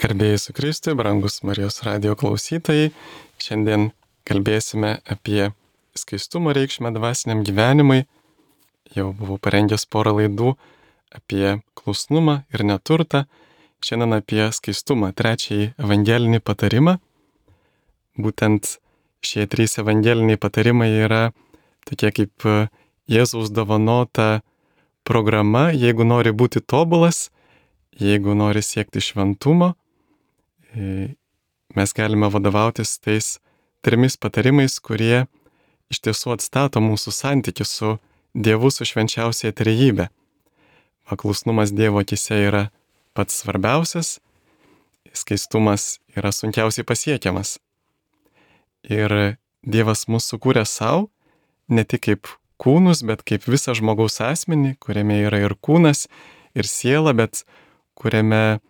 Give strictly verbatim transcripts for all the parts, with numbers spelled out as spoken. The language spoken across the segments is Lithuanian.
Garbėjai su Kristui, brangus Marijos radijo klausytojai. Šiandien kalbėsime apie skaistumo reikšmę dvasiniam gyvenimui. Jau buvau parengęs porą laidų apie klusnumą ir neturtą. Šiandien apie skaistumą, trečiąjį evangelinį patarimą. Būtent šie trys evangeliniai patarimai yra tokie kaip Jėzaus dovanota programa, jeigu nori būti tobulas, jeigu nori siekti šventumo. Mes galime vadovautis tais trimis patarimais, kurie iš tiesų atstato mūsų santykį su Dievu, su švenčiausiąja trejybe. Klusnumas Dievo akyse yra pats svarbiausias, skaistumas yra sunkiausiai pasiekiamas. Ir Dievas mus sukūrė savo, ne tik kaip kūnus, bet kaip visą žmogaus asmenį, kuriame yra ir kūnas, ir siela, bet kuriame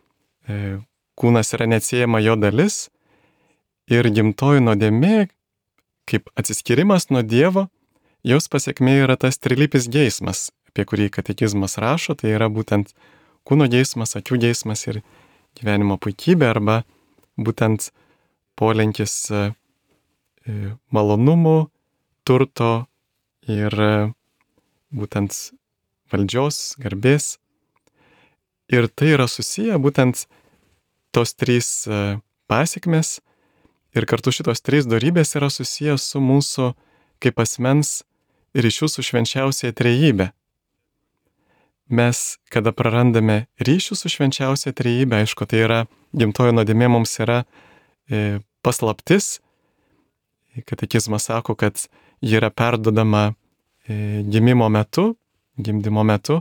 e, kūnas yra neatsiejama jo dalis. Ir gimtoji nuodėmė, kaip atsiskyrimas nuo Dievo, jos pasekmė yra tas trilypis geismas, apie kurį katekizmas rašo, tai yra būtent kūno geismas, akių geismas ir gyvenimo puikybė, arba būtent polinkis e, malonumų, turto ir būtent valdžios, garbės. Ir tai yra susiję būtent tos trys pasekmės ir kartu šitos trys dorybės yra susiję su mūsų kaip asmens ryšiu su švenčiausiąja trejybe. Mes, kada prarandame ryšių su švenčiausiąja trejybe, aišku, tai yra gimtoji nuodėmė mums yra e, paslaptis. Katekizmas sako, kad ji yra perduodama e, gimimo metu, gimdymo metu,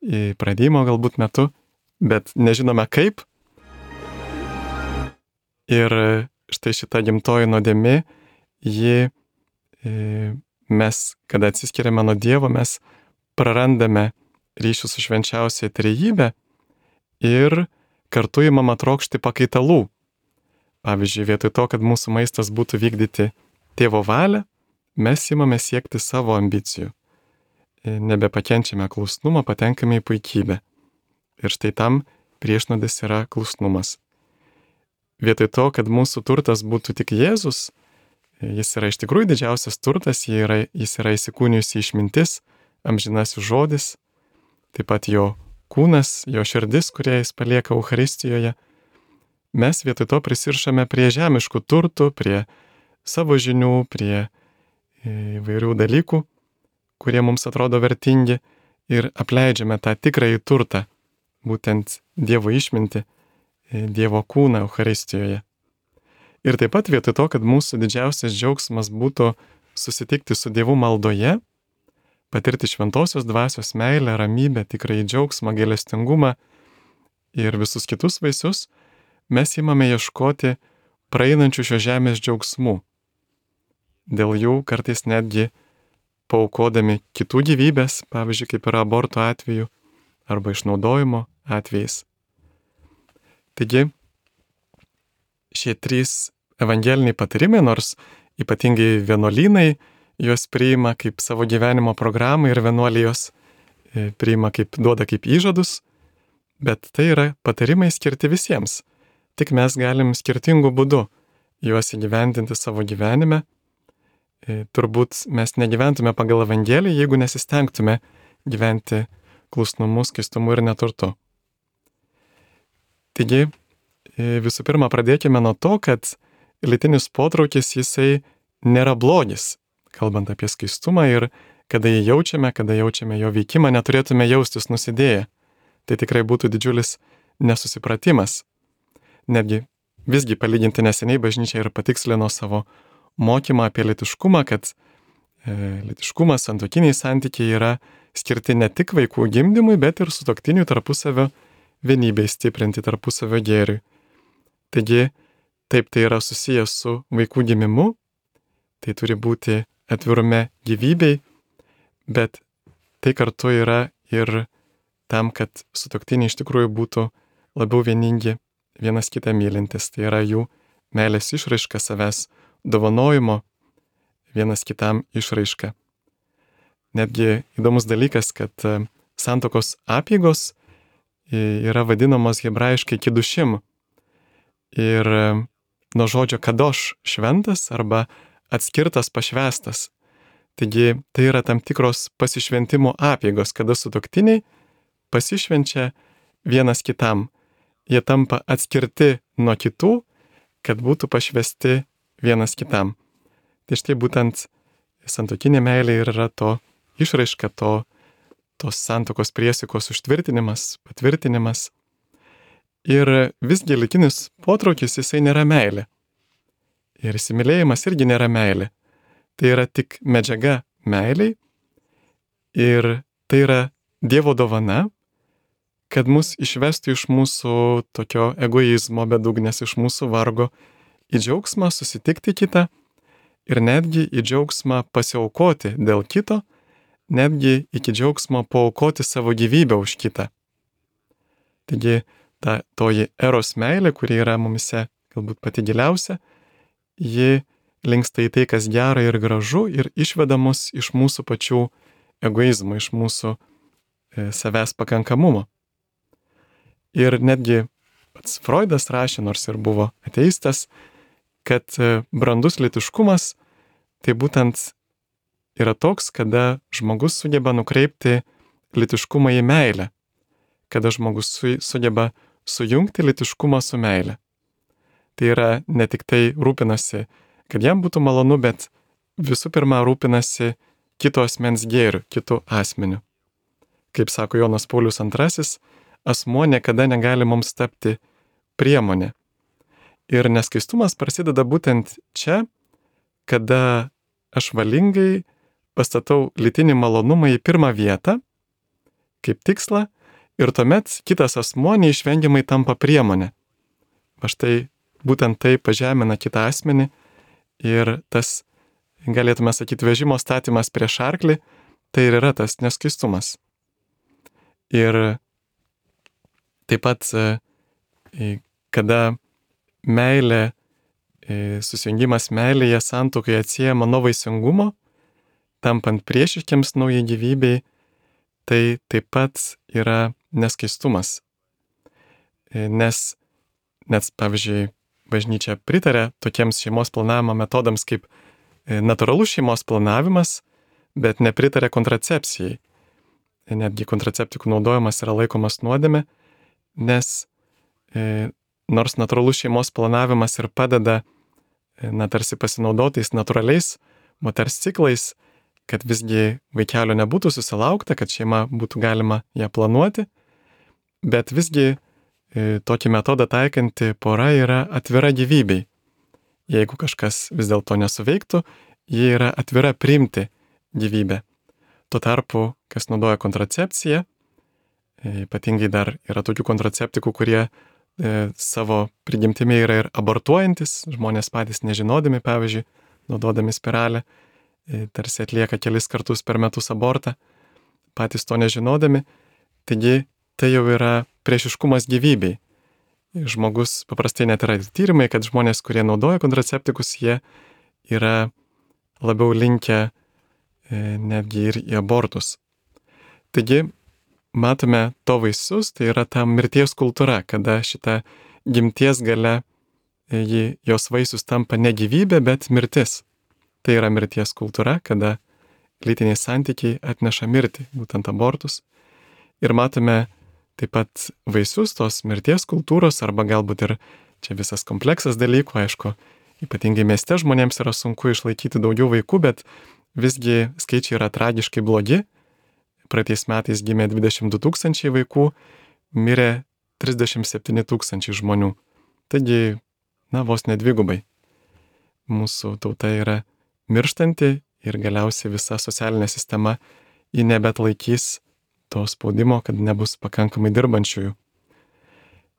e, pradėjimo galbūt metu, bet nežinome kaip. Ir štai šita gimtoji nuodėmė, ji, e, mes, kada atsiskiriame nuo Dievo, mes prarandame ryšių su švenčiausiąja trejybe ir kartu imama trokšti pakaitalų. Pavyzdžiui, vietoj to, kad mūsų maistas būtų vykdyti Tėvo valią, mes imame siekti savo ambicijų. Nebepakenčiame klusnumą, patenkame į puikybę. Ir štai tam priešnuodis yra klusnumas. Vietoj to, kad mūsų turtas būtų tik Jėzus, jis yra iš tikrųjų didžiausias turtas, jis yra, jis yra įsikūnijusi išmintis, amžinasis žodis, taip pat jo kūnas, jo širdis, kurią jis palieka Eucharistijoje. Mes vietoj to prisiršame prie žemiškų turtų, prie savo žinių, prie įvairių dalykų, kurie mums atrodo vertingi, ir apleidžiame tą tikrąjį turtą, būtent Dievo išmintį, Dievo kūną Eucharistijoje. Ir taip pat vietoj to, kad mūsų didžiausias džiaugsmas būtų susitikti su Dievu maldoje, patirti šventosios dvasios meilę, ramybę, tikrąjį džiaugsmą, gailestingumą ir visus kitus vaisius, mes imame ieškoti praeinančių šios žemės džiaugsmų. Dėl jų kartais netgi paaukodami kitų gyvybės, pavyzdžiui, kaip yra aborto atveju arba išnaudojimo atvejais. Taigi, šie trys evangeliniai patarimai, nors ypatingai vienuolynai juos priima kaip savo gyvenimo programą ir vienuolijos priima kaip, duoda kaip įžadus, bet tai yra patarimai skirti visiems. Tik mes galim skirtingų būdų juos įgyvendinti savo gyvenime. E, turbūt mes negyventume pagal Evangeliją, jeigu nesistengtume gyventi klusnumu, skaistumu ir neturtu. Taigi, e, visų pirma, pradėkime nuo to, kad lytinis potraukis jisai nėra blogis, kalbant apie skaistumą, ir kada jį jaučiame, kada jaučiame jo veikimą, neturėtume jaustis nusidėję. Tai tikrai būtų didžiulis nesusipratimas. Netgi visgi palyginti neseniai bažnyčia ir patikslino savo mokymą apie lytiškumą, kad e, lytiškumas, santuokiniai santykiai yra skirti ne tik vaikų gimdymui, bet ir sutuoktinių tarpusavio vienybei stiprinti, tarpusavio gėriui. Taigi, taip tai yra susijęs su vaikų gimimu, tai turi būti atvirume gyvybei, bet tai kartu yra ir tam, kad sutuoktiniai iš tikrųjų būtų labiau vieningi, vienas kitą mylintis, tai yra jų meilės išraiška, savęs dovanojimo vienas kitam išraiška. Netgi įdomus dalykas, kad santuokos apeigos yra vadinamos hebrajiškai kidušim. ir nuo žodžio kadoš šventas arba atskirtas, pašvestas. Taigi tai yra tam tikros pasišventimo apėgos, kada sutuoktiniai pasišvenčia vienas kitam. Jie tampa atskirti nuo kitų, kad būtų pašvesti vienas kitam. Tai štai būtent santuokinė meilė ir yra to išraiška, to, tos santuokos priesaikos užtvirtinimas, patvirtinimas. Ir visgi lytinis potraukis jisai nėra meilė. Ir įsimylėjimas irgi nėra meilė. Tai yra tik medžiaga meiliai ir tai yra Dievo dovana, kad mus išvestų iš mūsų tokio egoizmo bedugnės, iš mūsų vargo į džiaugsmą susitikti kitą ir netgi į džiaugsmą pasiaukoti dėl kito, netgi iki džiaugsmo paaukoti savo gyvybę už kitą. Taigi ta toji eros meilė, kuri yra mumise galbūt pati giliausia, ji linksta į tai, kas gera ir gražu ir išveda mus iš mūsų pačių egoizmo, iš mūsų e, savęs pakankamumo. Ir netgi pats Freudas rašė, nors ir buvo ateistas, kad e, brandus lytiškumas tai būtent yra toks, kada žmogus sugeba nukreipti lytiškumą į meilę, kada žmogus su, sugeba sujungti lytiškumą su meilė. Tai yra ne tik tai rūpinasi, kad jam būtų malonu, bet visų pirma rūpinasi kito asmens gėriu, kitų asmeniu. Kaip sako Jonas Paulius antrasis, asmuo niekada negali mums tapti priemonė. Ir neskaistumas prasideda būtent čia, kada aš valingai pastatau lytinį malonumą į pirmą vietą, kaip tikslą, ir tuomet kitas asmuo neišvengiamai tampa priemonė. Va štai būtent tai pažemina kitą asmenį ir tas, galėtume sakyti, vežimo statymas prieš arklį, tai ir yra tas neskaistumas. Ir taip pat, kada meilė, susijungimas meilėje santuokoje atsiejama nuo vaisingumo, tampant priešiškiams naujai gyvybei, tai taip pat yra neskaistumas. Nes, net, pavyzdžiui, bažnyčia pritarė tokiems šeimos planavimo metodams kaip natūralus šeimos planavimas, bet nepritarė kontracepcijai. Netgi kontraceptikų naudojimas yra laikomas nuodėme, nes e, nors natūralus šeimos planavimas ir padeda, e, na, tarsi pasinaudotais natūraliais moters ciklais, kad visgi vaikelio nebūtų susilaukta, kad šeima būtų galima ją planuoti, bet visgi e, tokį metodą taikanti pora yra atvira gyvybei. Jeigu kažkas vis dėlto nesuveiktų, ji yra atvira priimti gyvybę. Tuo tarpu, kas naudoja kontracepciją, ypatingai dar yra tokių kontraceptikų, kurie e, savo prigimtimi yra ir abortuojantis, žmonės patys nežinodami, pavyzdžiui, naudodami spiralę, e, tarsi atlieka kelis kartus per metus abortą, patys to nežinodami, taigi tai jau yra priešiškumas gyvybei. Žmogus paprastai net yra tyrimai, kad žmonės, kurie naudoja kontraceptikus, jie yra labiau linkę e, netgi ir į abortus. Taigi, matome to vaisius, tai yra ta mirties kultūra, kada šita gimties gale, e, jos vaisius tampa ne gyvybė, bet mirtis. Tai yra mirties kultūra, kada lytiniai santykiai atneša mirtį, būtent abortus. Ir matome taip pat vaisius tos mirties kultūros, arba galbūt ir čia visas kompleksas dalykų, aišku, ypatingai mieste žmonėms yra sunku išlaikyti daugiau vaikų, bet visgi skaičiai yra tragiškai blogi. Praeitais metais gimė dvidešimt du tūkstančiai vaikų, mirė trisdešimt septyni tūkstančiai žmonių. Taigi, na, vos nedvigubai. Mūsų tauta yra mirštanti ir galiausiai visa socialinė sistema ji nebetlaikys to spaudimo, kad nebus pakankamai dirbančiųjų.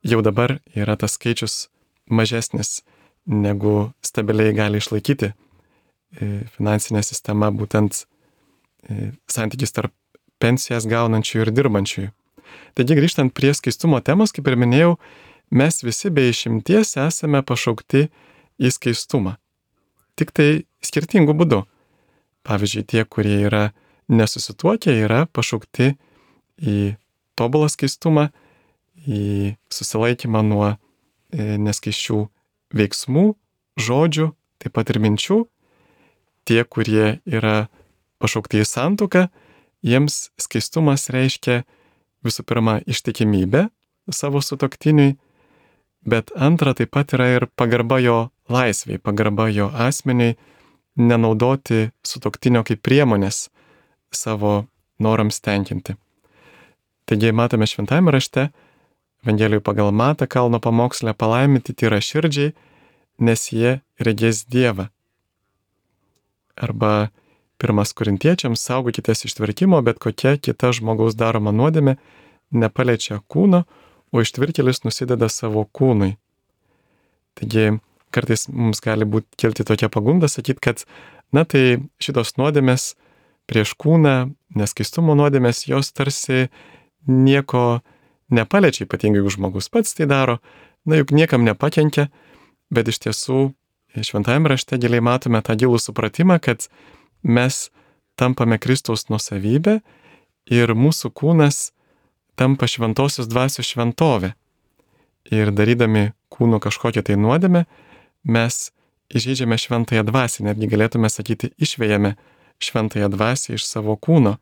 Jau dabar yra tas skaičius mažesnis, negu stabiliai gali išlaikyti finansinė sistema, būtent santykis tarp pensijas gaunančių ir dirbančiųjų. Taigi, grįžtant prie skaistumo temos, kaip ir minėjau, mes visi be išimties esame pašaukti į skaistumą. Tik tai skirtingų būdų. Pavyzdžiui, tie, kurie yra nesusituokę, yra pašaukti į tobulą skaistumą, į susilaikymą nuo neskaiščių veiksmų, žodžių, taip pat ir minčių. Tie, kurie yra pašaukti į santuoką, jiems skaistumas reiškia visų pirma ištikimybę savo sutuoktiniui, bet antra taip pat yra ir pagarba jo laisvei, pagarba jo asmeniui, nenaudoti sutuoktinio kaip priemonės savo norams tenkinti. Taigi matome šventajame rašte, Evangelijoje pagal Matą kalno pamoksle, palaiminti tyra širdžiai, nes jie regės Dievą. Arba pirmas Korintiečiams, saugokitės ištvirkimo, bet kokia kita žmogaus daroma nuodėmė nepaliečia kūno, o ištvirkėlis nusideda savo kūnui. Taigi kartais mums gali būti kilti tokia pagunda sakyti, kad na tai šitos nuodėmės prieš kūną, neskaistumo nuodėmės, jos tarsi nieko nepaliečia, ypatingai jeigu žmogus pats tai daro, na juk niekam nepakenkia, bet iš tiesų šventajame rašte giliai matome tą gilų supratimą, kad mes tampame Kristaus nuosavybė ir mūsų kūnas tampa šventosios dvasios šventovė. Ir darydami kūno kažkokią tai nuodėmę, mes įžeidžiame šventąją dvasią, netgi galėtume sakyti, išvejame šventąją dvasią iš savo kūno,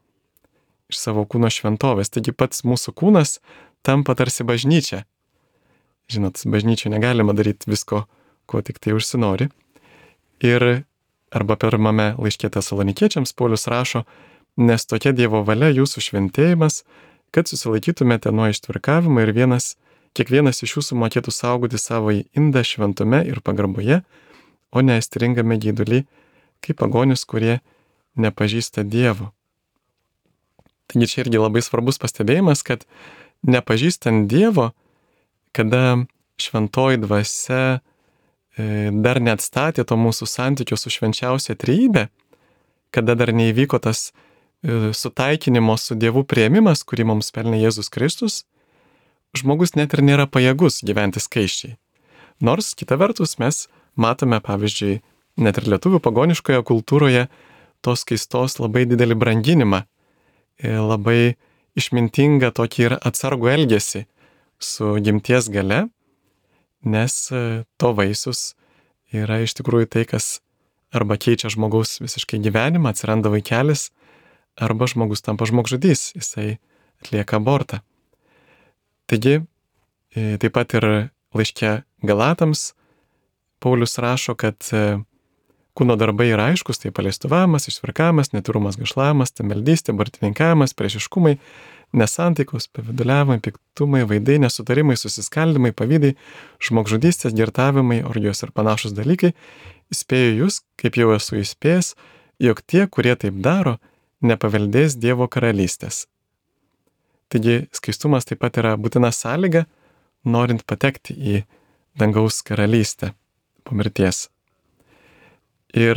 iš savo kūno šventovės. Taigi pats mūsų kūnas tampa tarsi bažnyčia. Žinot, bažnyčioje negalima daryti visko, ko tik tai užsinori. Ir arba pirmame laiške Tesalonikiečiams Paulius rašo, nes tokia Dievo valia jūsų šventėjimas, kad susilaikytumėte nuo ištvirkavimo ir vienas, kiekvienas iš jūsų mokėtų saugoti savo indą šventume ir pagarboje, o ne aistringame geidulį, kaip pagonis, kurie nepažįsta Dievo. Taigi čia irgi labai svarbus pastebėjimas, kad nepažįstant Dievo, kada šventoji dvasia dar neatstatė to mūsų santykio su švenčiausia trejybe, kada dar neįvyko tas sutaikinimo su Dievu priėmimas, kurį mums pelnė Jėzus Kristus, žmogus net ir nėra pajėgus gyventi skaisčiai. Nors, kita vertus, mes matome, pavyzdžiui, net ir lietuvių pagoniškoje kultūroje tos skaistos labai didelį branginimą, labai išmintingą tokį ir atsargų elgesį su gimties gale, nes to vaisius yra iš tikrųjų tai, kas arba keičia žmogaus visiškai gyvenimą, atsiranda vaikelis, arba žmogus tampa žmogžudys, jisai atlieka abortą. Taigi, taip pat ir laiške Galatams Paulius rašo, kad kūno darbai yra aiškus, tai paleistuvavimas, ištvirkavimas, netyrumas, gašlavimas, temeldystė, bartininkavimas, priešiškumai, nesantaikos, paviduliavimai, piktumai, vaidai, nesutarimai, susiskaldimai, pavydai, žmogžudystės, girtavimai, orgijos ir panašus dalykai. Įspėju jūs, kaip jau esu įspėjęs, jog tie, kurie taip daro, nepaveldės Dievo karalystės. Taigi skaistumas taip pat yra būtina sąlyga, norint patekti į dangaus karalystę po mirties. Ir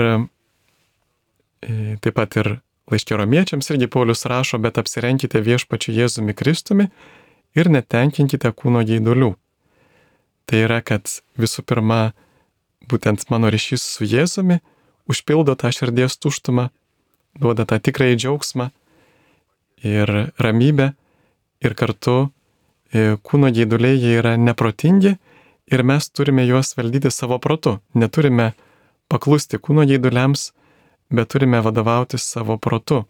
taip pat ir laiške Romiečiams irgi Paulius rašo, bet apsirenkite viešpačiu Jėzumi Kristumi ir netenkinkite kūno geidulių. Tai yra, kad visų pirma, būtent mano ryšys su Jėzumi užpildo tą širdies tuštumą, duoda tą tikrąjį džiaugsmą ir ramybę, ir kartu kūno geiduliai jie yra neprotingi ir mes turime juos valdyti savo protu. Neturime paklusti kūno geiduliams, bet turime vadovautis savo protu.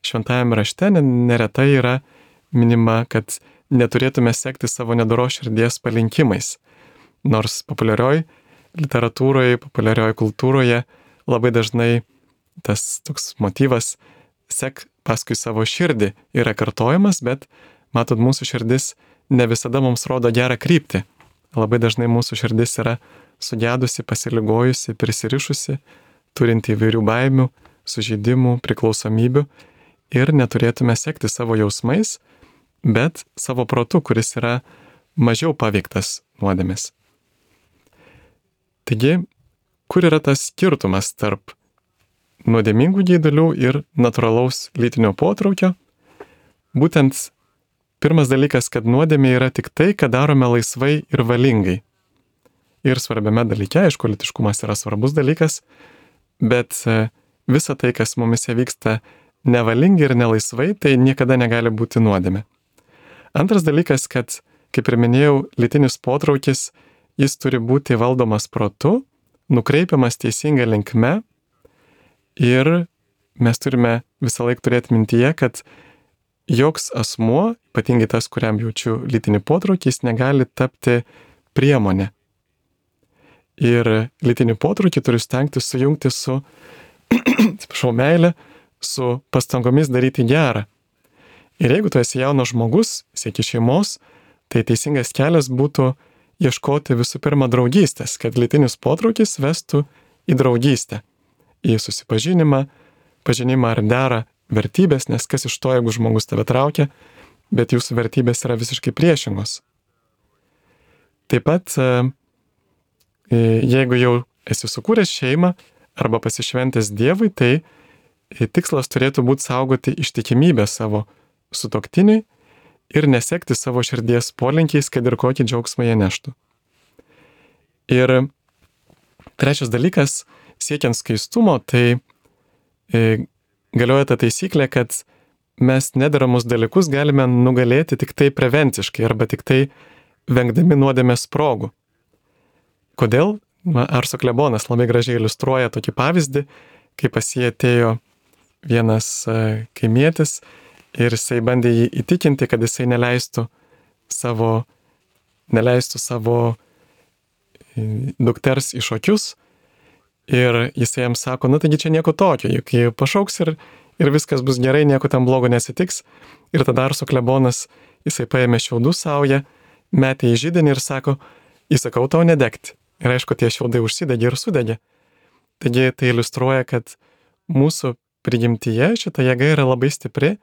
Šventajame rašte neretai yra minima, kad neturėtume sekti savo nedoros širdies palinkimais. Nors populiarioj literatūroje, populiarioj kultūroje labai dažnai tas toks motyvas sek paskui savo širdį yra kartojamas, bet matot, mūsų širdis ne visada mums rodo gerą kryptį. Labai dažnai mūsų širdis yra sugedusi, pasiligojusi, prisirišusi, turinti įvairių baimių, sužeidimų, priklausomybių ir neturėtume sekti savo jausmais, bet savo protu, kuris yra mažiau paveiktas nuodėmės. Taigi, kur yra tas skirtumas tarp nuodėmingų geidulių ir natūralaus lytinio potraukio? Būtent pirmas dalykas, kad nuodėmė yra tik tai, ką darome laisvai ir valingai. Ir svarbiame dalyke, aišku, lytiškumas yra svarbus dalykas, bet visa tai, kas mumise vyksta nevalingai ir nelaisvai, tai niekada negali būti nuodėmė. Antras dalykas, kad, kaip ir minėjau, lytinis potraukis jis turi būti valdomas protu, nukreipiamas teisinga linkme ir mes turime visą laiką turėti mintyje, kad joks asmuo, ypatingai tas, kuriam jaučiu lytinį potraukį, jis negali tapti priemonė. Ir lytinį potraukį turiu stengtis sujungti su, atsiprašau, meilė, su pastangomis daryti gerą. Ir jeigu tu esi jaunas žmogus, sieki šeimos, tai teisingas kelias būtų ieškoti visų pirma draugystės, kad lytinis potraukis vestų į draugystę, į susipažinimą, pažinimą ar derą vertybės, nes kas iš to, jeigu žmogus tave traukia, bet jūsų vertybės yra visiškai priešingos. Taip pat, jeigu jau esi sukūręs šeimą arba pasišventęs Dievui, tai tikslas turėtų būti saugoti ištikimybę savo sutuoktiniui ir nesekti savo širdies polinkiais, kad ir kokį džiaugsmą jie neštų. Ir trečias dalykas, siekiant skaistumo, tai e, galioja ta taisyklė, kad mes nederamus dalykus galime nugalėti tik tai prevenciškai arba tik tai vengdami nuodėmės progų. Kodėl? Arso klebonas labai gražiai iliustruoja tokį pavyzdį, kai pas jį atėjo vienas e, kaimietis ir jisai bandė jį įtikinti, kad jisai neleistų savo, neleistų savo dukters į šokius. Ir jisai jam sako, na taigi čia nieko tokio, juk jį pašauks ir, ir viskas bus gerai, nieko tam blogo nesitiks. Ir tada Arso klebonas, jisai paėmė šiaudų saują, metė į židinį ir sako, įsakau tau nedegti. Ir aišku, tie šiaudai užsidegė ir sudegė. Taigi tai iliustruoja, kad mūsų prigimtyje šita jėga yra labai stipri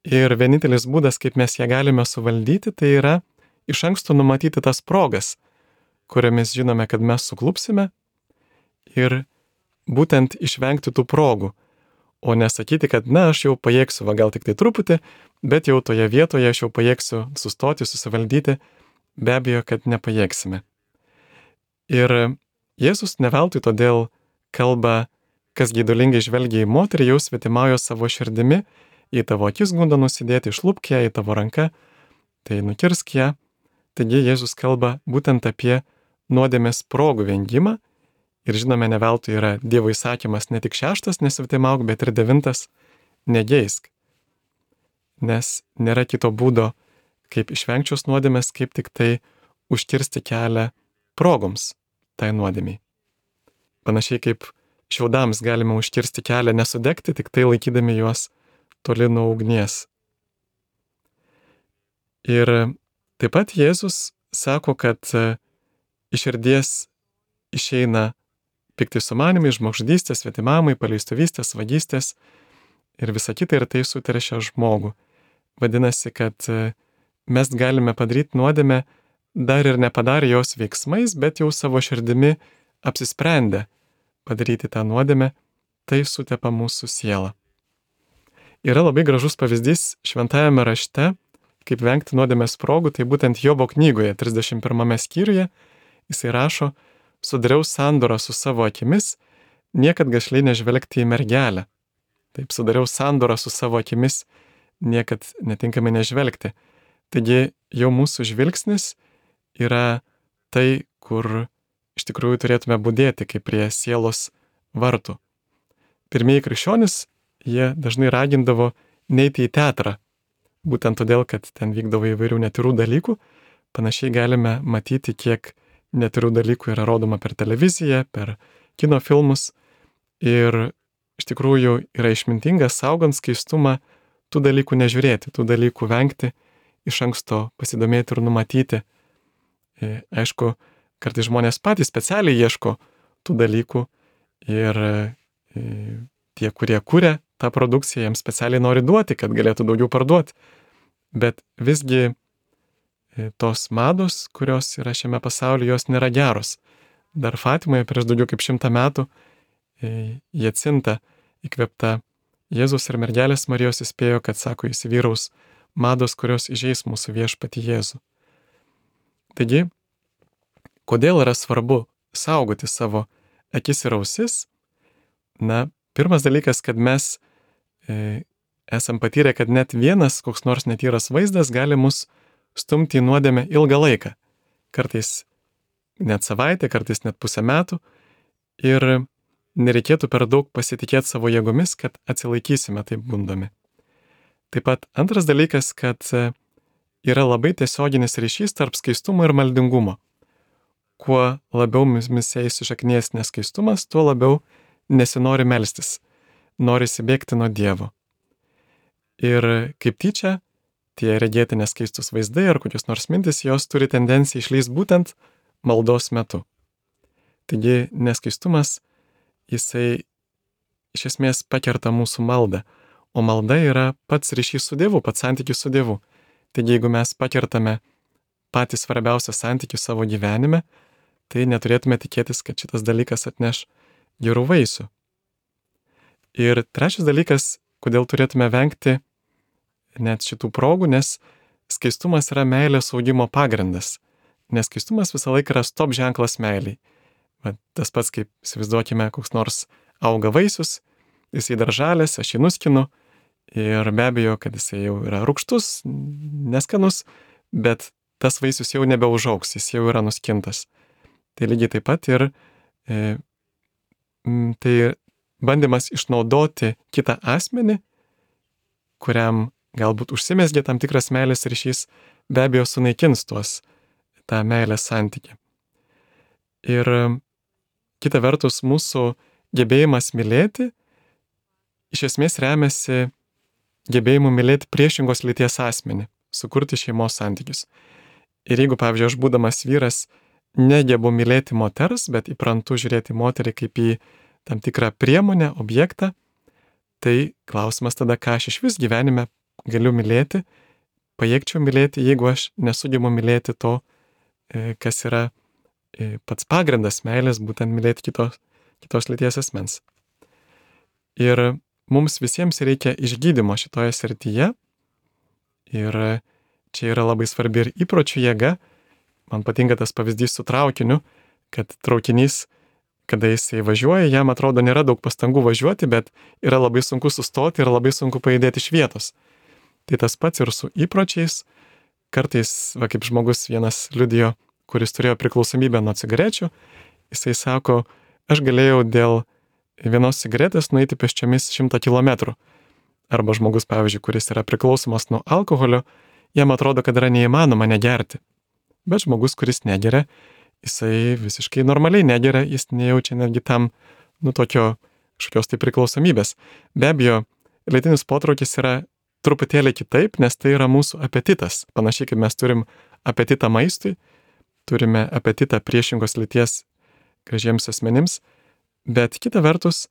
ir vienintelis būdas, kaip mes ją galime suvaldyti, tai yra iš anksto numatyti tas progas, kuriomis žinome, kad mes suklupsime ir būtent išvengti tų progų, o nesakyti, kad na, aš jau pajėgsiu, va gal tik tai truputį, bet jau toje vietoje aš jau pajėgsiu sustoti, susivaldyti, be abejo, kad nepajėgsime. Ir Jėzus neveltui todėl kalba, kas geidulingai žvelgia į moterį, jau svetimauja savo širdimi, į tavo akis gunda nusidėti, išlupk ją į tavo ranką, tai nukirsk ją. Taigi Jėzus kalba būtent apie nuodėmės progų vengimą ir žinome, neveltui yra Dievo įsakymas ne tik šeštas nesvetimauk, bet ir devintas negeisk. Nes nėra kito būdo, kaip išvengčios nuodėmės, kaip tik tai užkirsti kelią progoms tai nuodėmiai. Panašiai kaip šiaudams galime užkirsti kelią nesudegti, tik tai laikydami juos toli nuo ugnies. Ir taip pat Jėzus sako, kad iš širdies išeina pikti sumanimai, žmogžudystės, svetimavimai, paleistuvystės, vagystės ir visa kita, ir tai suteršia žmogų. Vadinasi, kad mes galime padaryti nuodėmę dar ir nepadarę jos veiksmais, bet jau savo širdimi apsisprendę padaryti tą nuodėmę, tai sutepa mūsų sielą. Yra labai gražus pavyzdys šventajame rašte, kaip vengti nuodėmės progų, tai būtent Jobo knygoje, trisdešimt pirmame skyriuje, jisai rašo, sudariau sandorą su savo akimis, niekad gašliai nežvelgti į mergelę. Taip, sudariau sandorą su savo akimis, niekad netinkamai nežvelgti. Taigi jau mūsų žvilgsnis yra tai, kur iš tikrųjų turėtume budėti, kaip prie sielos vartų. Pirmieji krikščionys, jie dažnai ragindavo neiti į teatrą, būtent todėl, kad ten vykdavo įvairių netyrų dalykų. Panašiai galime matyti, kiek netyrų dalykų yra rodoma per televiziją, per kino filmus. Ir iš tikrųjų yra išmintinga, saugant skaistumą, tų dalykų nežiūrėti, tų dalykų vengti, iš anksto pasidomėti ir numatyti. E, aišku, kartais žmonės patys specialiai ieško tų dalykų ir e, tie, kurie kuria tą produkciją, jiems specialiai nori duoti, kad galėtų daugiau parduoti. Bet visgi tos mados, kurios yra šiame pasaulyje, jos nėra geros. Dar Fatimoje prieš daugiau kaip šimtą metų Jacinta įkvėpta Jėzus ir mergelės Marijos įspėjo, kad, sako, įsivyraus mados, kurios įžeis mūsų viešpatį Jėzų. Taigi, kodėl yra svarbu saugoti savo akis ir ausis? Na, pirmas dalykas, kad mes e, esam patyrę, kad net vienas koks nors netyras vaizdas gali mus stumti į nuodėmę ilgą laiką. Kartais net savaitę, kartais net pusę metų ir nereikėtų per daug pasitikėti savo jėgomis, kad atsilaikysime taip gundomi. Taip pat antras dalykas, kad yra labai tiesioginis ryšys tarp skaistumo ir maldingumo. Kuo labiau mumyse įsišaknėjęs neskaistumas, tuo labiau nesinori melstis, norisi bėgti nuo Dievo. Ir kaip tyčia, tie regėti neskaistus vaizdai ar kokios nors mintis, jos turi tendenciją išlįsti būtent maldos metu. Taigi neskaistumas, jisai iš esmės pakerta mūsų maldą, o malda yra pats ryšys su Dievu, pats santykis su Dievu. Taigi jeigu mes pakertame patį svarbiausią santykį savo gyvenime, tai neturėtume tikėtis, kad šitas dalykas atneš gerų vaisių. Ir trečias dalykas, kodėl turėtume vengti net šitų progų, nes skaistumas yra meilės augimo pagrindas. Nes skaistumas visą laiką yra stop ženklas meiliai. Va, tas pats, kaip įsivaizduokime, koks nors auga vaisius, jisai daržalės, aš jį nuskinu ir be abejo, kad jisai jau yra rūgštus, neskanus, bet tas vaisius jau nebeužaugs, jis jau yra nuskintas. Tai lygiai taip pat ir e, tai bandymas išnaudoti kitą asmenį, kuriam galbūt užsimezgė tam tikras meilės ryšys, be abejo sunaikins tuos tą meilės santykį. Ir kita vertus, mūsų gebėjimas mylėti iš esmės remiasi gebėjimu mylėti priešingos lyties asmenį, sukurti šeimos santykius. Ir jeigu, pavyzdžiui, aš būdamas vyras negebu mylėti moters, bet įprantu žiūrėti moterį kaip į tam tikrą priemonę, objektą, tai klausimas tada, ką aš iš vis gyvenime galiu mylėti, pajėgčiau mylėti, jeigu aš nesugebu mylėti to, kas yra pats pagrindas meilės, būtent mylėti kitos, kitos lyties asmens. Ir mums visiems reikia išgydymo šitoje srityje. Ir čia yra labai svarbi ir įpročių jėga. Man patinka tas pavyzdys su traukiniu, kad traukinys, kada jisai važiuoja, jam atrodo nėra daug pastangų važiuoti, bet yra labai sunku sustoti ir labai sunku pajudėti iš vietos. Tai tas pats ir su įpročiais. Kartais, va, kaip žmogus vienas liudijo, kuris turėjo priklausomybę nuo cigarečių, jisai sako, aš galėjau dėl vienos cigaretės nueiti pėsčiomis šimtą kilometrų. Arba žmogus, pavyzdžiui, kuris yra priklausomas nuo alkoholio, jam atrodo, kad yra neįmanoma negerti. Bet žmogus, kuris negeria, jisai visiškai normaliai negeria, jis nejaučia netgi tam, nu, tokio kažkokios tai priklausomybės. Be abejo, lėtinis potraukis yra truputėlį kitaip, nes tai yra mūsų apetitas. Panašiai kaip mes turim apetitą maistui, turime apetitą priešingos lyties gražiems asmenims, bet kita vertus,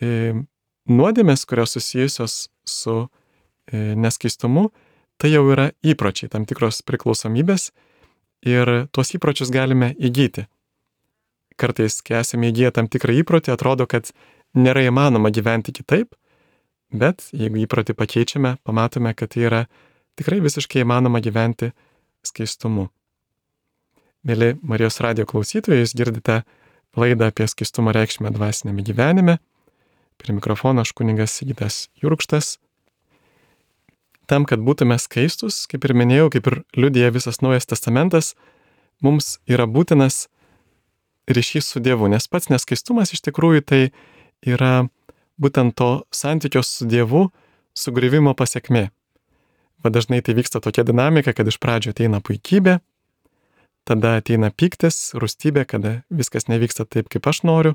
e, nuodėmės, kurios susijusios su e, neskaistumu, tai jau yra įpročiai, tam tikros priklausomybės ir tuos įpročius galime įgyti. Kartais, kai esame įgyję tam tikrą įprotį, atrodo, kad nėra įmanoma gyventi kitaip, bet jeigu įprotį pakeičiame, pamatome, kad tai yra tikrai visiškai įmanoma gyventi skaistumu. Mėly Marijos radijo klausytojai, jūs girdite laidą apie skaistumo reikšmę dvasinėme gyvenime. Prie mikrofono aš kunigas Sigitas Jurkštas. Tam, kad būtume skaistus, kaip ir minėjau, kaip ir liudija visas Naujas Testamentas, mums yra būtinas ryšys su Dievu, nes pats neskaistumas iš tikrųjų tai yra būtent to santykio su Dievu sugriuvimo pasekmė. Va dažnai tai vyksta tokia dinamika, kad iš pradžio ateina puikybė, tada ateina pyktis, rūstybė, kada viskas nevyksta taip, kaip aš noriu,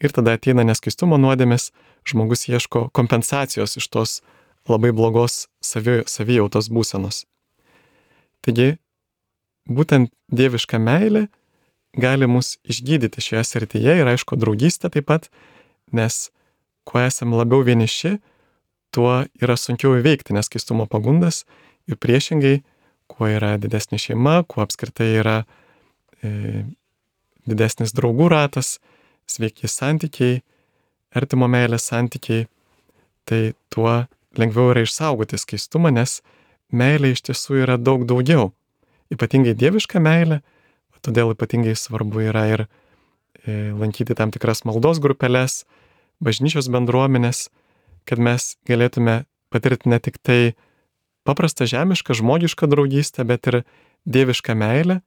ir tada ateina neskaistumo nuodėmės, žmogus ieško kompensacijos iš tos labai blogos savi, savijautos būsenos. Taigi, būtent dieviška meilė gali mus išgydyti šioje srityje ir aišku, draugystė taip pat, nes kuo esame labiau vieniši, tuo yra sunkiau įveikti neskaistumo pagundas ir priešingai, kuo yra didesnė šeima, kuo apskritai yra e, didesnis draugų ratas, sveiki santykiai, artimo meilės santykiai, tai tuo lengviau yra išsaugoti skaistumą, nes meilė iš tiesų yra daug daugiau. Ypatingai dieviška meilė, todėl ypatingai svarbu yra ir e, lankyti tam tikras maldos grupeles, bažnyčios bendruomenės, kad mes galėtume patirti ne tik tai paprastą žemišką, žmogišką draugystę, bet ir dievišką meilę.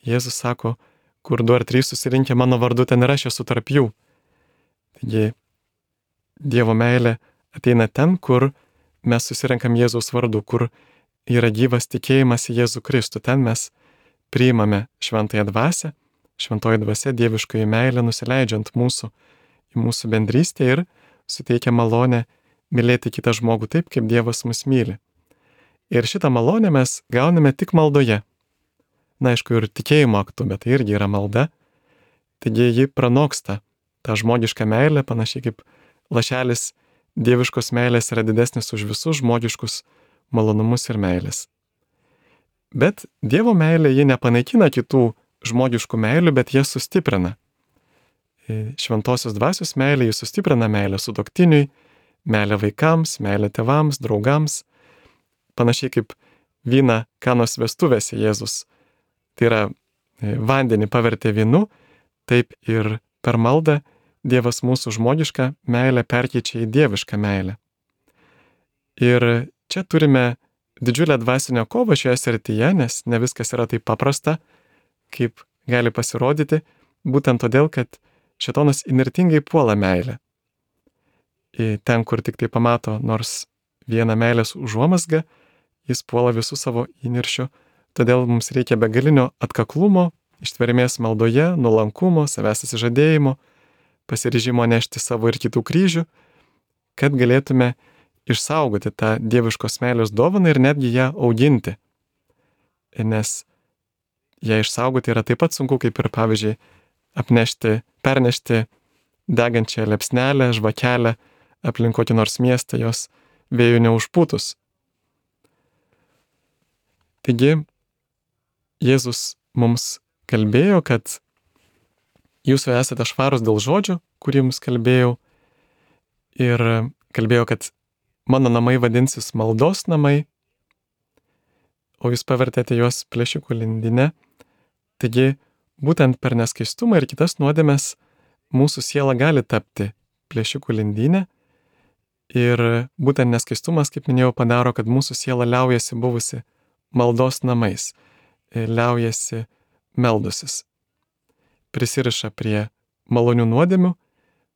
Jėzus sako, kur du ar trys susirinkę mano vardu, ten ir aš esu tarp jų. Taigi Dievo meilė ateina ten, kur mes susirenkam Jėzaus vardu, kur yra gyvas tikėjimas į Jėzų Kristų. Ten mes priimame šventąją dvasią, šventoji dvasia dieviškoji meilė nusileidžiant mūsų į mūsų bendrystę ir suteikia malonę mylėti kitą žmogų taip, kaip Dievas mus myli. Ir šitą malonę mes gauname tik maldoje. Na, aišku, ir tikėjimo aktu, bet tai irgi yra malda. Taigi ji pranoksta tą žmogišką meilę, panašiai kaip lašelis dieviškos meilės yra didesnis už visus žmogiškus malonumus ir meilės. Bet Dievo meilė ji nepanaikina kitų žmogiškų meilių, bet jas sustiprina. Šventosios dvasios meilė ji sustiprina meilę sutuoktiniui, meilę vaikams, meilę tėvams, draugams. Panašiai kaip vyną Kanos vestuvėse Jėzus. Tai yra vandenį pavertė vynu, taip ir per maldą Dievas mūsų žmogišką meilę perkeičia į dievišką meilę. Ir čia turime didžiulę dvasinę kovą šioje srityje, nes ne viskas yra taip paprasta, kaip gali pasirodyti, būtent todėl, kad šėtonas įnirtingai puola meilę. Ten, kur tik tai pamato nors vieną meilės užuomazgą, jis puola visų savo įniršių, todėl mums reikia begalinio atkaklumo, ištvermės maldoje, nuolankumo, savęs atsižadėjimo, pasiryžimo nešti savo ir kitų kryžių, kad galėtume išsaugoti tą dieviškos meilės dovaną ir netgi ją auginti. Nes ją išsaugoti yra taip pat sunku, kaip ir, pavyzdžiui, apnešti, pernešti degančią liepsnelę, žvakelę aplink kokį nors miestą, jos vėjų neužpūtus. Taigi, Jėzus mums kalbėjo, kad jūs esate švarūs dėl žodžių, kurį jums kalbėjau, ir kalbėjo, kad mano namai vadinsis maldos namai, o jūs pavertėte juos plėšikų lindine. Taigi, būtent per neskaistumą ir kitas nuodėmes mūsų siela gali tapti plėšikų lindinė, ir būtent neskaistumas, kaip minėjau, padaro, kad mūsų siela liaujasi buvusi maldos namais, liaujasi meldusis, prisiriša prie malonių nuodėmių,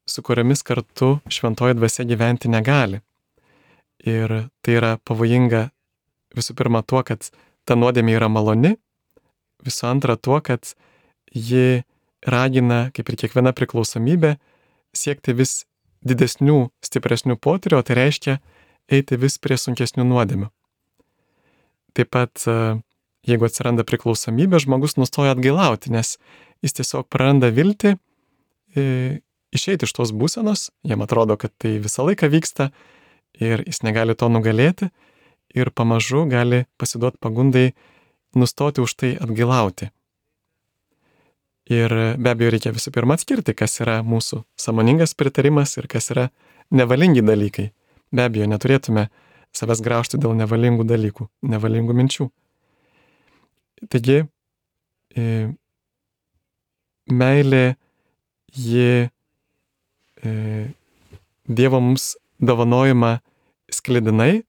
su kuriomis kartu šventoji dvasia gyventi negali. Ir tai yra pavojinga visų pirma tuo, kad ta nuodėmė yra maloni, visų antra tuo, kad ji ragina, kaip ir kiekviena priklausomybė, siekti vis didesnių, stipresnių potyrių, o tai reiškia eiti vis prie sunkesnių nuodėmių. Taip pat, jeigu atsiranda priklausomybė, žmogus nustoja atgailauti, nes jis tiesiog praranda viltį e, išeiti iš tos būsenos, jam atrodo, kad tai visą laiką vyksta ir jis negali to nugalėti ir pamažu gali pasiduoti pagundai nustoti už tai atgailauti. Ir be abejo reikia visų pirma atskirti, kas yra mūsų sąmoningas pritarimas ir kas yra nevalingi dalykai. Be abejo, neturėtume savęs graužti dėl nevalingų dalykų, nevalingų minčių. Taigi, e, meilė, ji e, Dievo mums dovanojama sklidinai,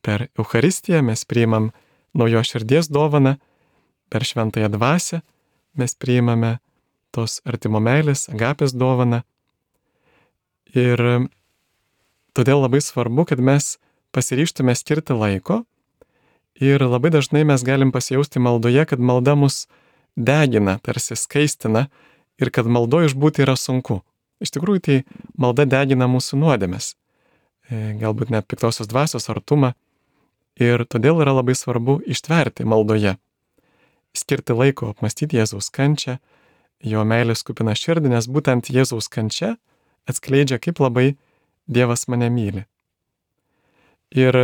per Eucharistiją mes priimam naujos širdies dovaną, per šventąją dvasią mes priimame tos artimo meilės, agapės dovaną. Ir todėl labai svarbu, kad mes pasiryžtume skirti laiko ir labai dažnai mes galim pasijausti maldoje, kad malda mus degina, tarsi skaistina ir kad maldoje išbūti yra sunku. Iš tikrųjų, tai malda degina mūsų nuodėmes, galbūt net piktosios dvasios artumą, ir todėl yra labai svarbu ištverti maldoje, skirti laiko apmąstyti Jėzaus kančią, jo meilės kupiną širdį, nes būtent Jėzaus kančia atskleidžia, kaip labai Dievas mane myli. Ir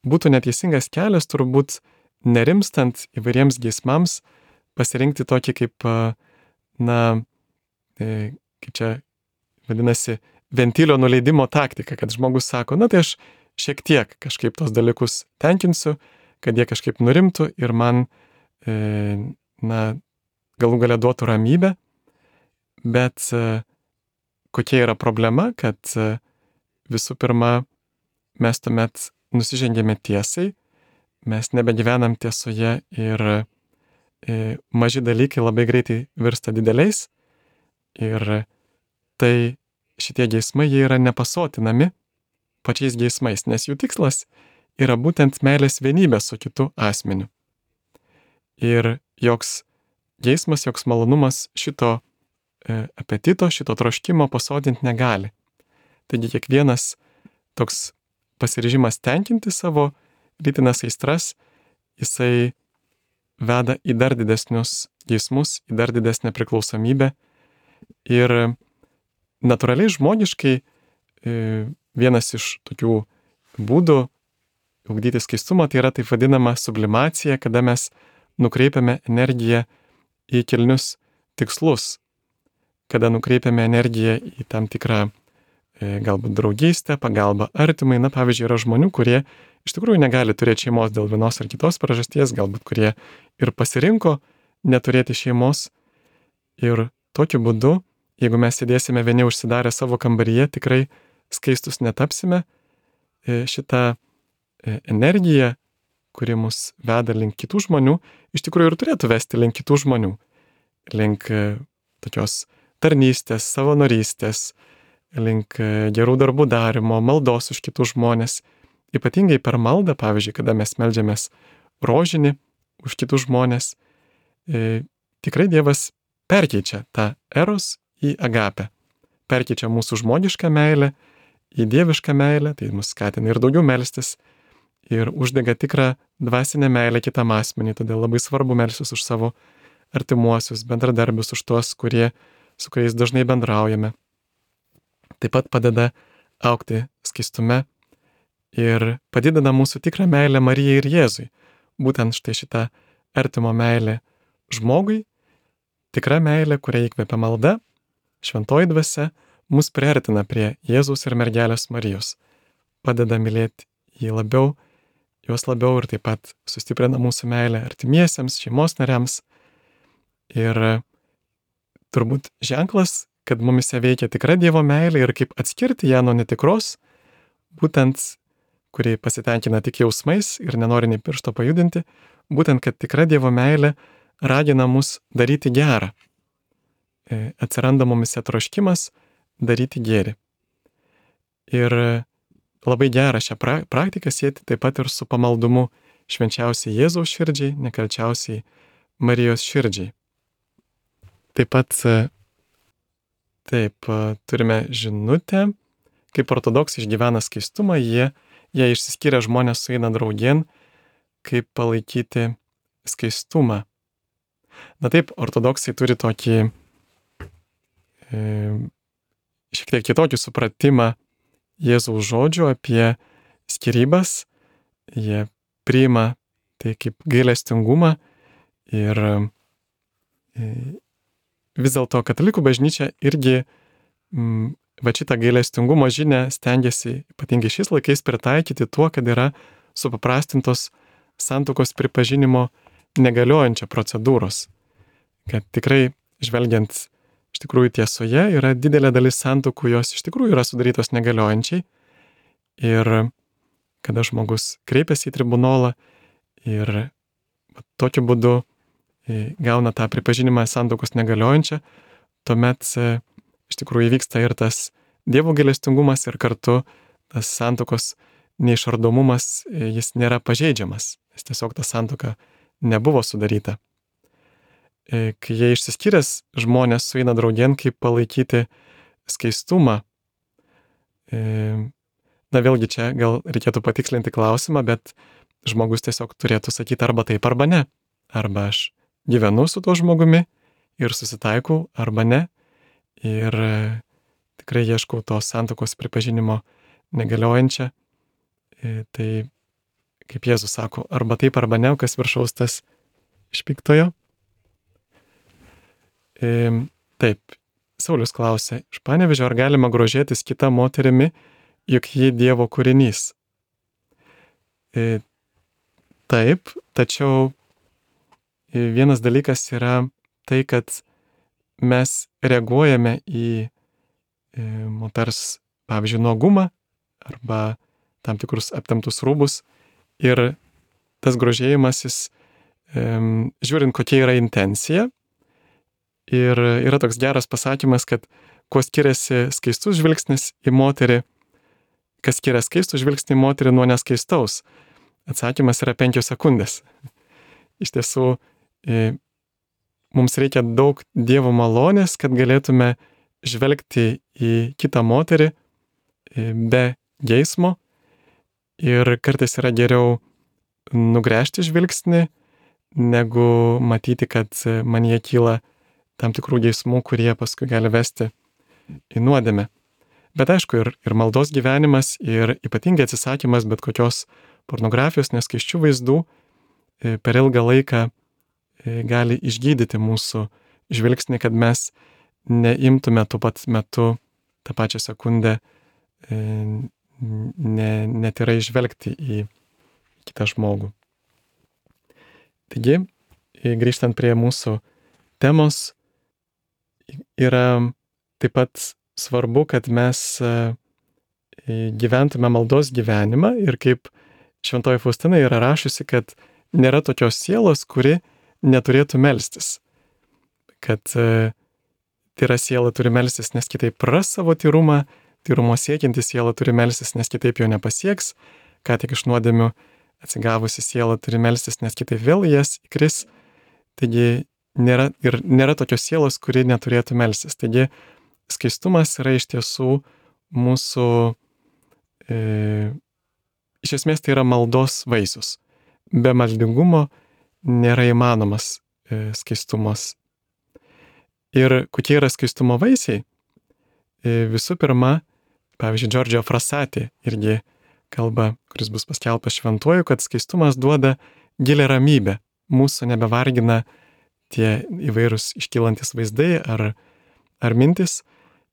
būtų neteisingas kelias turbūt nerimstant įvairiems geismams pasirinkti tokį kaip, na, kaip čia vadinasi, ventilio nuleidimo taktika, kad žmogus sako, na tai aš šiek tiek kažkaip tos dalykus tenkinsiu, kad jie kažkaip nurimtų ir man, e, na, galų galia duotų ramybę, bet e, kokia yra problema, kad e, visų pirma mes tuomet nusižengėme tiesai, mes nebegyvenam tiesoje ir e, maži dalykai labai greitai virsta dideliais ir tai šitie geismai jie yra nepasotinami pačiais geismais, nes jų tikslas yra būtent meilės vienybė su kitu asmeniu. Ir joks geismas, joks malonumas šito e, apetito, šito troškimo pasodinti negali. Taigi kiekvienas toks pasiryžimas tenkinti savo lytinės aistras, jisai veda į dar didesnius geismus, į dar didesnę priklausomybę. Ir natūraliai žmogiškai vienas iš tokių būdų ugdyti skaistumą tai yra taip vadinama sublimacija, kada mes nukreipiame energiją į kilnius tikslus, kada nukreipiame energiją į tam tikrą galbūt draugystę, pagalbą artimai. Na, pavyzdžiui, yra žmonių, kurie iš tikrųjų negali turėti šeimos dėl vienos ar kitos priežasties, galbūt kurie ir pasirinko neturėti šeimos. Ir tokiu būdu, jeigu mes sėdėsime vieni užsidarę savo kambaryje, tikrai skaistus netapsime. Šitą energiją, kuri mus veda link kitų žmonių, iš tikrųjų ir turėtų vesti link kitų žmonių. Link tokios tarnystės, savanorystės, link gerų darbų darimo, maldos už kitus žmonės. Ypatingai per maldą, pavyzdžiui, kada mes meldžiamės rožinį už kitus žmonės, e, tikrai Dievas perkeičia tą eros į agapę. Perkeičia mūsų žmogišką meilę į dievišką meilę, tai mus skatina ir daugiau melstis, ir uždega tikrą dvasinę meilę kitam asmeniui. Todėl labai svarbu melstis už savo artimuosius, bendradarbius, už tuos, kurie, su kuriais dažnai bendraujame. Taip pat padeda augti skaistume ir padidina mūsų tikrą meilę Marijai ir Jėzui. Būtent štai šita artimo meilė žmogui, tikra meilė, kurią įkvepia malda, šventoji dvasia, mus priartina prie Jėzaus ir mergelės Marijos. Padeda mylėti jį labiau, juos labiau ir taip pat sustiprina mūsų meilę artimiesiems, šeimos nariams. Ir turbūt ženklas, kad mumise veikia tikra Dievo meilė ir kaip atskirti ją nuo netikros, būtent, kuri pasitenkina tik jausmais ir nenori nei piršto pajudinti, būtent, kad tikra Dievo meilė ragina mus daryti gerą. Atsiranda mumise troškimas daryti gėrį. Ir labai gera šią pra- praktiką sieti taip pat ir su pamaldumu švenčiausiai Jėzaus širdžiai, nekalčiausiai Marijos širdžiai. Taip pat Taip, turime žinutę, kaip ortodoksai išgyvena skaistumą, jie, jie išsiskiria žmonės sueina draugien, kaip palaikyti skaistumą. Na taip, ortodoksai turi tokį e, šiek tiek kitokį supratimą Jėzaus žodžių apie skyrybas, jie priima tai kaip gailestingumą ir e, vis dėlto katalikų bažnyčia irgi m, va šitą gailestingumo žinią stengiasi ypatingai šiais laikais pritaikyti tuo, kad yra supaprastintos santuokos pripažinimo negaliojančia procedūros. Kad tikrai žvelgiant iš tikrųjų tiesoje yra didelė dalis santuokų, jos iš tikrųjų yra sudarytos negaliojančiai. Ir kada žmogus kreipiasi į tribunolą ir va, tokiu būdu gauna tą pripažinimą santuokos negaliojančią, tuomet iš tikrųjų įvyksta ir tas Dievo gailestingumas ir kartu tas santuokos neišardomumas, jis nėra pažeidžiamas, nes tiesiog ta santuoka nebuvo sudaryta. Kai jie išsiskyręs žmonės sueina draugien, kaip palaikyti skaistumą. Na vėlgi čia gal reikėtų patikslinti klausimą, bet žmogus tiesiog turėtų sakyti arba taip, arba ne. Arba aš gyvenu su tuo žmogumi ir susitaikau, arba ne. Ir tikrai ieškau tos santuokos pripažinimo negaliojančią. Tai, kaip Jėzus sako, arba taip, arba ne, kas viršaus tas iš piktojo. Taip, Saulius klausė, iš Panevėžio, ar galima grožėtis kita moterimi, juk ji Dievo kūrinys? Taip, tačiau vienas dalykas yra tai, kad mes reaguojame į moters, pavyzdžiui, nuogumą arba tam tikrus aptemptus rūbus ir tas grožėjimasis žiūrint, kokia yra intencija. Ir yra toks geras pasakymas, kad kuo skiriasi skaistus žvilgsnis į moterį, kas skiria skaistų žvilgsnį į moterį nuo neskaistaus. Atsakymas yra penkios sekundės. Iš tiesų, mums reikia daug Dievo malonės, kad galėtume žvelgti į kitą moterį be geismo. Ir kartais yra geriau nugręžti žvilgsnį, negu matyti, kad manyje kyla tam tikrų geismų, kurie paskui gali vesti į nuodėmę. Bet aišku, ir, ir maldos gyvenimas, ir ypatingai atsisakymas bet kokios pornografijos, neskaisčių vaizdų per ilgą laiką gali išgydyti mūsų žvilgsnį, kad mes neimtume tuo pat metu, tą pačią sekundę, ne, netyrai žvelgti į kitą žmogų. Taigi, grįžtant prie mūsų temos, yra taip pat svarbu, kad mes gyventume maldos gyvenimą ir kaip Šventoji Faustina yra rašusi, kad nėra tokios sielos, kuri neturėtų melstis. Kad tyra siela turi melstis, nes kitaip praras savo tyrumą, tyrumo siekianti siela turi melstis, nes kitaip jo nepasieks, ką tik iš nuodėmių atsigavusi siela turi melstis, nes kitaip vėl jas įkris. Taigi nėra, ir nėra tokios sielos, kuri neturėtų melstis. Taigi skaistumas yra iš tiesų mūsų, e, iš esmės tai yra maldos vaisius. Be maldingumo nėra įmanomas e, skaistumas. Ir kokie yra skaistumo vaisiai? E, visų pirma, pavyzdžiui, Giorgio Frassati irgi kalba, kuris bus paskelbtas šventuoju, kad skaistumas duoda gilią ramybę. Mūsų nebevargina tie įvairūs iškylantis vaizdai ar, ar mintis,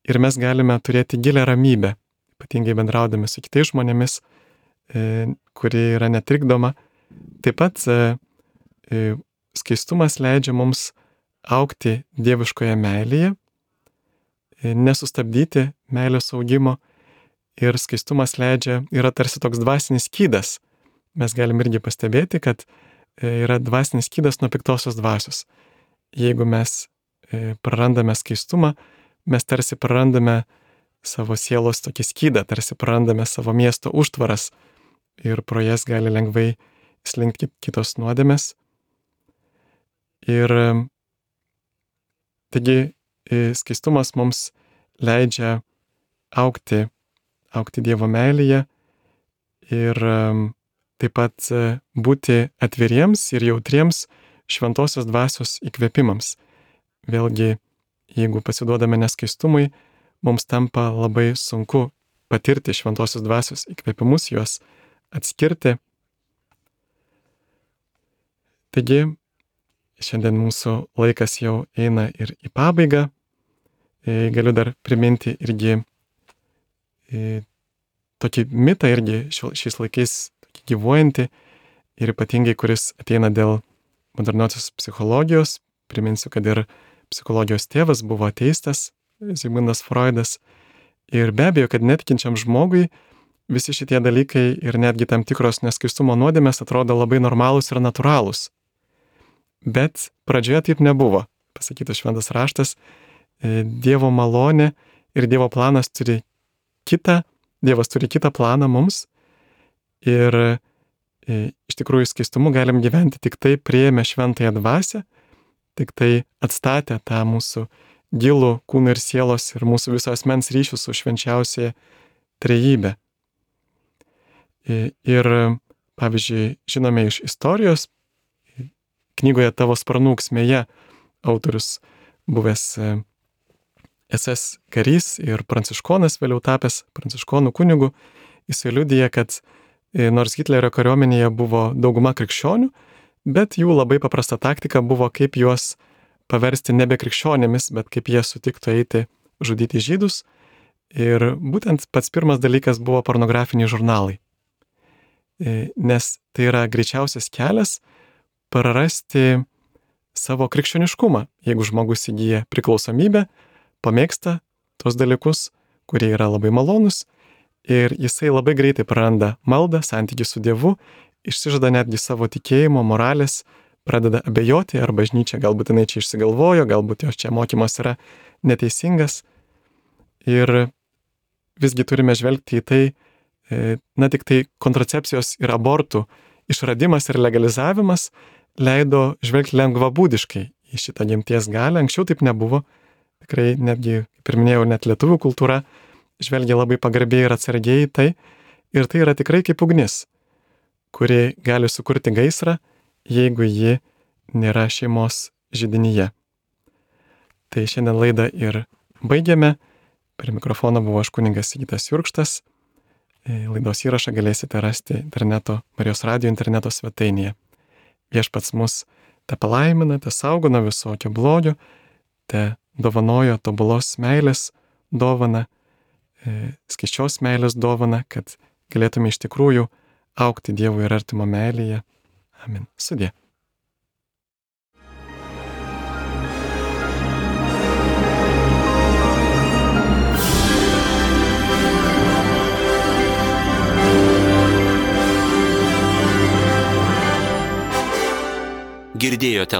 ir mes galime turėti gilią ramybę, ypatingai bendraudami su kitais žmonėmis, e, kuri yra netrikdoma. Taip pat e, e, skaistumas leidžia mums augti dieviškoje meilėje, e, nesustabdyti meilės augimo, ir skaistumas leidžia, yra tarsi toks dvasinis skydas. Mes galim irgi pastebėti, kad yra dvasinis skydas nuo piktosios dvasios. Jeigu mes prarandame skaistumą, mes tarsi prarandame savo sielos tokį skydą, tarsi prarandame savo miesto užtvaras ir pro jas gali lengvai slinkti kitos nuodėmės. Ir taigi skaistumas mums leidžia augti, augti Dievo meilėje ir taip pat būti atviriems ir jautriems šventosios dvasios įkvėpimams. Vėlgi, jeigu pasiduodame neskaistumui, mums tampa labai sunku patirti šventosios dvasios įkvėpimus, juos atskirti. Taigi, šiandien mūsų laikas jau eina ir į pabaigą. Galiu dar priminti irgi tokį mitą irgi šiais laikais gyvuojantį ir ypatingai, kuris ateina dėl moderniosios psichologijos. Priminsiu, kad ir psichologijos tėvas buvo ateistas, Zigmundas Freudas. Ir be abejo, kad netikinčiam žmogui visi šitie dalykai ir netgi tam tikros neskaistumo nuodėmės atrodo labai normalūs ir natūralūs. Bet pradžioje taip nebuvo. Pasakytas šventas raštas, Dievo malonė ir Dievo planas turi kitą, Dievas turi kitą planą mums. Ir e, iš tikrųjų skaistumu galim gyventi tik tai priėmę šventąją dvasią, tik tai atstatę tą mūsų gilų kūno ir sielos ir mūsų viso asmens ryšių su švenčiausia trejybe. E, ir, pavyzdžiui, žinome iš istorijos, knygoje Tavo sparnų ūksmėje autorius buvęs es es karys ir pranciškonas, vėliau tapęs pranciškonų kunigu, jisai liudija, kad nors Hitlerio kariuomenėje buvo dauguma krikščionių, bet jų labai paprasta taktika buvo, kaip juos paversti nebe krikščionėmis, bet kaip jie sutiktų eiti žudyti žydus. Ir būtent pats pirmas dalykas buvo pornografiniai žurnalai. Nes tai yra greičiausias kelias prarasti savo krikščioniškumą. Jeigu žmogus įgyja priklausomybę, pamėgsta tos dalykus, kurie yra labai malonus, ir jisai labai greitai praranda maldą, santykį su Dievu, išsižada netgi savo tikėjimo, moralės, pradeda abejoti, ar bažnyčia galbūt jinai čia išsigalvojo, galbūt jos čia mokymas yra neteisingas. Ir visgi turime žvelgti į tai, na tik tai kontracepcijos ir abortų išradimas ir legalizavimas leido žvelgti lengvabūdiškai į šitą gimties galią. Anksčiau taip nebuvo. Tikrai netgi, kaip ir minėjau, net lietuvių kultūra žvelgia labai pagarbiai ir atsargiai į tai. Ir tai yra tikrai kaip ugnis, kuri gali sukurti gaisrą, jeigu ji nėra šeimos židinyje. Tai šiandien laidą ir baigiame. Prie mikrofono buvo aš kunigas Sigitas Jurkštas. Laidos įrašą galėsite rasti interneto, Marijos radijo interneto svetainėje. Viešpats mus te palaimina, te saugo nuo visokio blogio, te dovanojo tobulos meilės dovaną, skaisčios meilės dovaną, kad galėtume iš tikrųjų augti Dievo ir artimo meilėje. Amen. Sudie. Girdėjote